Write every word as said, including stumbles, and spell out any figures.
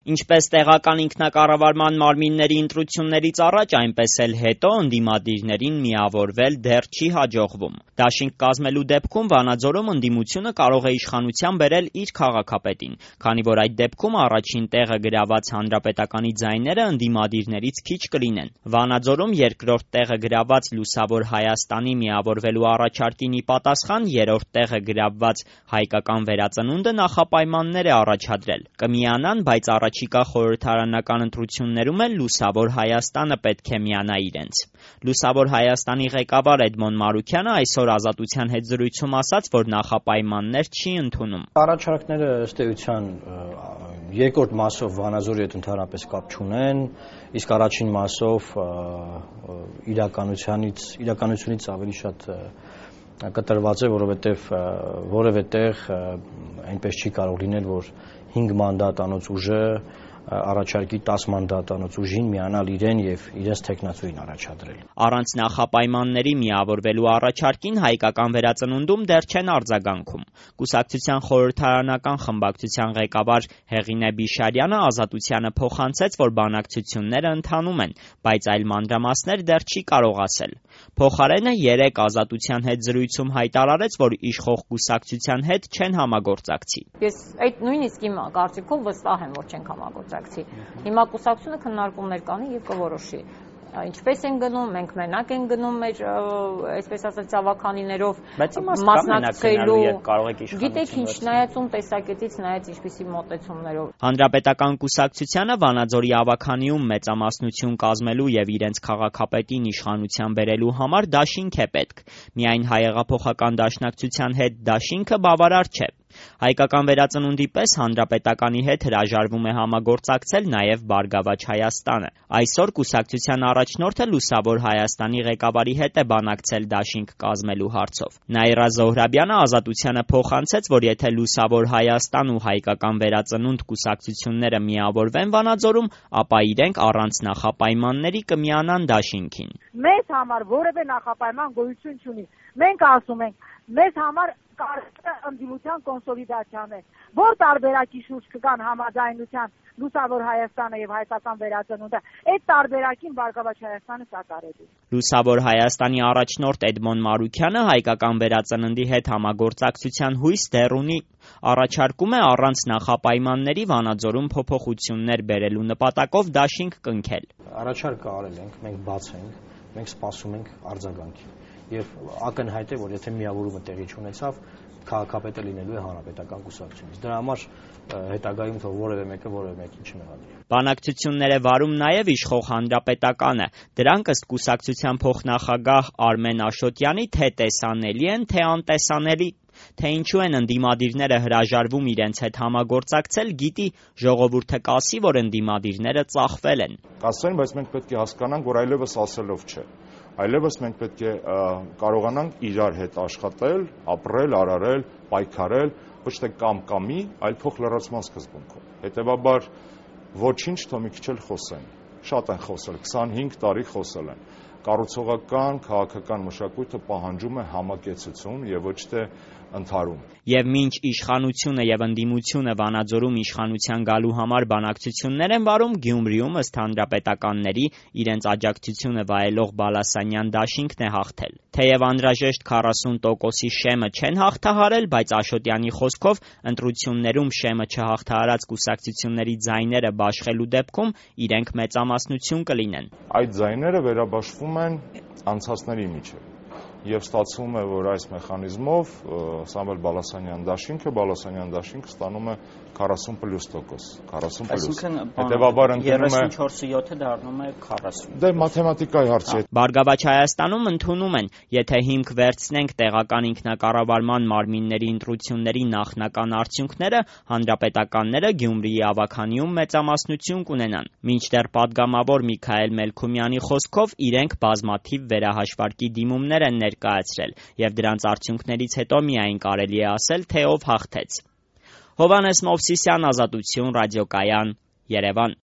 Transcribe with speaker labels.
Speaker 1: Ինչպես տեղական ինքնակառավարման մարմինների ընտրություններից առաջ, այնպես էլ հետո ընդդիմադիրներին միավորվել դեռ չի հաջողվում։ Դաշինք կազմելու դեպքում Վանաձորում ընդդիմությունը կարող է իշխանության բերել իր քաղաքապետին, քանի որ այդ դեպքում առաջին տեղը գրաված Հանրապետականի ձայները ընդդիմադիրներից քիչ կլինեն։ Վանաձորում երկրորդ տեղը գրաված Լուսավոր Հայաստանի միավորվելու առաջարկին ի պատասխան երրորդ տեղը գրավված Հայկական վերածնունդը նախապայմաններ է առաջադրել։ Կմիանան, բայց առաջիկա խորհրդարանական ընտրություններում էլ Լուսավոր Հայաստանը պետք է միանա իրենց։ Լուսավոր Հայաստանի ղեկավար Էդմոն Մարուքյանը այսօր Ազատության հետ զրույցում ասաց, որ նախապայմաններ չի ընդունում։
Speaker 2: Առաջարկները ըստ էության երկրորդ մասով Վանաձորի հետ ընդհանրապես կապ չունեն, իսկ առաջին մասով իրականությունից իրականությունից ավելի շատ կտրված է, որովհետև որևէ տեղ այնպես չի կարող լինել, որ հինգ մանդատանոց ուժը առաջարկի տաս մանդատանոց ուժին միանալ իրեն եւ իրենց թեկնածուին առաջադրել։
Speaker 1: Առանց նախապայմանների միավորվելու առաջարկին Հայկական վերածնունդում դեռ չեն արձագանքում։ Կուսակցության խորհրդարանական խմբակցության ղեկավար Հեղինե Բիշարյանը Ազատությանը փոխանցեց, որ բանակցությունները ընթանում են, բայց այլ մանրամասներ դեռ չի կարող ասել։ Փոխարենը երեկ Ազատության հետ զրույցում հայտարարեց, որ իշխող կուսակցության հետ չեն համագործակցի։
Speaker 3: Ես այդ նույնիսկ իմ կարծիքով վստահ եմ, որ չենք համագործակցի։ Հիմա կուսակցությունը քննարկումներ կանի եւ կորոշի։ Ինչպես են գնում, մենք մենակ են գնում մեր, այսպես ասած, ցավականիներով
Speaker 1: մասնակցելու,
Speaker 3: գիտեք ինչ, նայածում տեսակետից նայած ինչպիսի մոտեցումներով։
Speaker 1: Հանրապետական կուսակցությանը Վանաձորի ավականիում մեծամասնություն կազմելու եւ իրենց քաղաքապետին իշխանության բերելու համար դաշինք է պետք։ Միայն հայեղափոխական դաշնակցության հետ դաշինքը բավարար չէ։ Հայկական վերածնունդի պես Հանրապետականի հետ հրաժարվում է համագործակցել նաև Բարգավաճ Հայաստանը։ Այսօր կուսակցության առաջնորդը Լուսավոր Հայաստանի ղեկավարի հետ է բանակցել դաշինք կազմելու հարցով։ Նաիրա Զոհրաբյանը Ազատությանը փոխանցեց, որ եթե Լուսավոր Հայաստան ու Հայկական վերածնունդ կուսակցությունները միավորվեն Վանաձորում, ապա իրենք առանց նախապայմանների կմիանան դաշինքին։
Speaker 4: Մեզ համար որևէ նախապայման գոյություն չունի։ Մենք ասում ենք, մեզ համար կարծրը ընդդիմության կոնսոլիդացիան է, որ տարբերակի շուրջ կգան համաձայնության Լուսավոր Հայաստանը եւ Հայկական վերածնունդը, այդ տարբերակին Բարգավաճ Հայաստանը սատարելու։
Speaker 1: Լուսավոր Հայաստանի առաջնորդ Էդմոն Մարուքյանը Հայկական վերածննդի հետ համագործակցության հույս դեռ ունի, առաջարկում է առանց նախապայմանների Վանաձորում փոփոխություններ բերելու նպատակով դաշինք կնքել։
Speaker 2: Առաջարկը արել ենք, մենք բաց ենք, մենք սպասում ենք արձագանքի։ Եվ ակնհայտ է, որ եթե միավորումը տեղի չունեցավ, քաղաքապետը լինելու է Հանրապետական կուսակցությունից։ Դրա համար հետագայում թող որևէ մեկը որևէ մեկին չմեղադրի։
Speaker 1: Բանակցություններ է վարում նաև իշխող Հանրապետականը։ Դրանք ըստ կուսակցության փոխնախագահ Արմեն Աշոտյանի թե տեսանելի են, թե անտեսանելի։ Թե ինչու են ընդդիմադիրները հրաժարվում իրենց հետ համագործակցել, գիտի ժողովուրդը կասի, որ ընդդիմադիրները ծախվել են։
Speaker 5: Կասեն, բայց մենք պետք է հասկանանք, որ այլևս ասելով չէ։ Այլևս մենք պետք է կարողանանք իրար հետ աշխատել, ապրել, արարել, պայքարել, ոչ թե կամ-կամի, այլ փոխլրացման սկզբունքով։ Հետևաբար ոչինչ թող մի քիչ էլ խոսեն։ Շատ են խոսել, քսանհինգ տարի խոսել են։ Կառուցողական, քաղաքական մշակույթը պահանջում է համակեցություն եւ ոչ թե ընդհարում։
Speaker 1: Եվ մինչ իշխանությունը եւ ընդդիմությունը Վանաձորում իշխանության գալու համար բանակցություններ են վարում, Գյումրիում ըստ հանրապետականների իրենց աջակցությունը վայելող Բալասանյան դաշինքն է հաղթել։ Թեև անհրաժեշտ քառասուն տոկոսի շեմը չեն հաղթահարել, բայց Աշոտյանի խոսքով ընտրություններում շեմը չհաղթահարած կուսակցությունների ձայները բաշխելու դեպքում իրենք մեծամասնություն կլինեն։
Speaker 5: Այդ ձայները վերաբաշխվում են անցածների միջև։ Եվ ստացվում է, որ այս մեխանիզմով Սամվել Բալասանյան դաշինքը, Բալասանյան դաշինքը ստանում է քառասուն պլյուս տոկոս, քառասուն պլյուս։ Հետևաբար ընդունում է
Speaker 1: երեսունչորսը յոթը դառնում է քառասուն։
Speaker 5: Դե մաթեմատիկայի հարց է։
Speaker 1: Բարգավաճ Հայաստանում ընդունում են, եթե հիմք վերցնենք տեղական ինքնակառավարման մարմինների ընտրությունների նախնական արդյունքները, հանրապետականները Գյումրիի ավականիում մեծամասնություն կունենան։ Մինչդեռ պատգամավոր Միքայել Մելքումյանի խոսքով իրենք բազմաթիվ վերահաշվարկի դիմումներ են ներկայացրել եւ դրանց արդյունքներից հետո միայն կարելի է ասել, թե ով հաղթեց։ Հովհաննես Մովսիսյան, Ազատություն, ռադիոկայան, Երևան։